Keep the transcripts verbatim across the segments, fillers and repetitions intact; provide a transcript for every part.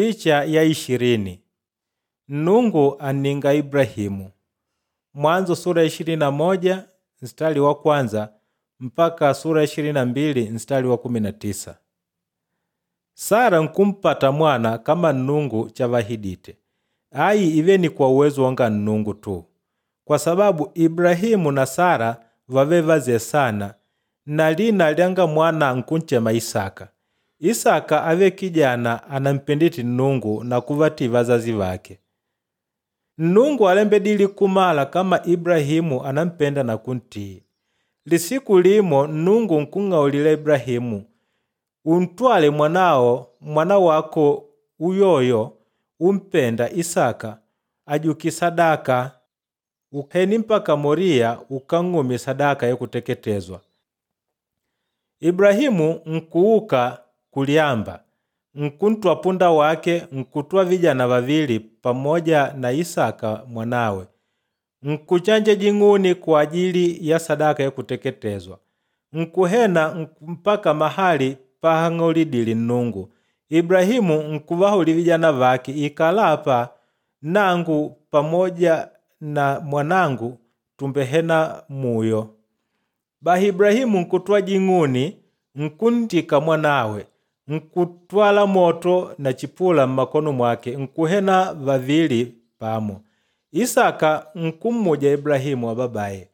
Picha ya ishirini Nnungu aninga Ibrahimu. Mwanzo sura ya ishirini na moja mstari wa kwanza mpaka sura ya ishirini na mbili mstari wa kumi na tisa. Sara nkumpata mwana kama Nnungu chavahidite. Ayi ive ni kwa uwezo wanga Nnungu tu. Kwa sababu Ibrahimu na Sara vave vaze sana na lina lyanga mwana nkunchema Isaka. Isaka ave kijana anampenditi Nnungu na kuvatii vazazi vake. Nnungu alembedile kumala kama Ibrahimu anampenda na kuntii. Lisiku limo Nnungu nkung'aulila Ibrahimu, untwale mwanao mwana wako uyoyo umpenda Isaka ajuki sadaka uheni mpaka Moriya ukang'umye sadaka yakuteketezwa. Ibrahimu nkuuka kulyamba, nkuntwa punda wake nkutwa vijana vavili pamoja na Isaka mwanawe, nkuchanja jing'uni kwa ajili ya sadaka yakuteketezwa. Nkuhena mpaka mahali pahang'aulidile Nnungu. Ibrahimu nkuvahuli vijana vake ikala apa nangu pamoja na mwanangu tumbehena muyo. Bahi Ibrahimu nkutwa jing'uni nkuntika mwanawe nkutwala moto na chipula mmakono mwake nkuhena vavili pamo. Isaka nkummuja Ibrahimu ababaye,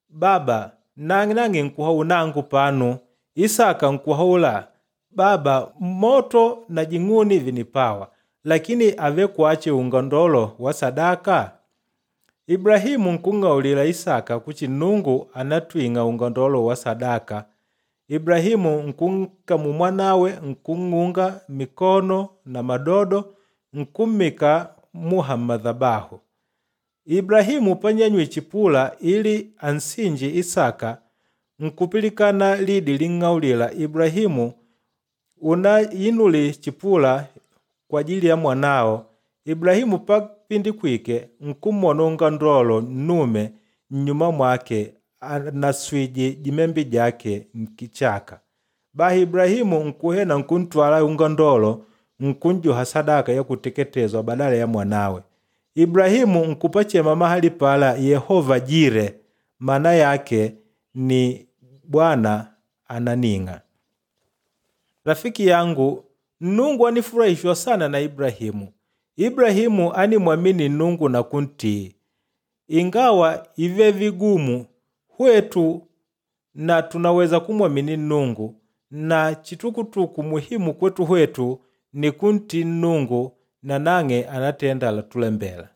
baba nangi nangi nkuhau nangu panu. Isaka nkuhaula baba moto na jing'uni vinipawa lakini ave kwache ungandolo wa sadaka. Ibrahimu nkung'aulila Isaka kuchi Nnungu anatwing'a ungandolo wa sadaka. Ibrahimu nkunkamu mwanawe nkung'unga mikono na madodo nkummika muha mmadhabahu. Ibrahimu panyanywi chipula ili ansinje Isaka nkupilikana lidi ling'aulila Ibrahimu unayinuli chipula kwa ajili ya mwanao. Ibrahimu papindikwike nkumwona ungandolo nnume nnyuma mwake anaswije jimembi jake nkichaka. Bahi Ibrahimu nkuhena nkuntwala ungandolo nkunjuha sadaka yakuteketezwa badala ya mwanawe. Ibrahimu nkupachema mahali pala Yehova Jire, maana yake ni Bwana ananing'a. Rafiki yangu, Nnungu anifurahishwa sana na Ibrahimu. Ibrahimu animwamini Nnungu na kuntii. Ingawa ive vigumu hwetu na tunaweza kumwamini Nnungu na chitukutuku muhimu kwetu hwetu ni kuntii Nnungu na nang'e anatenda latulembela.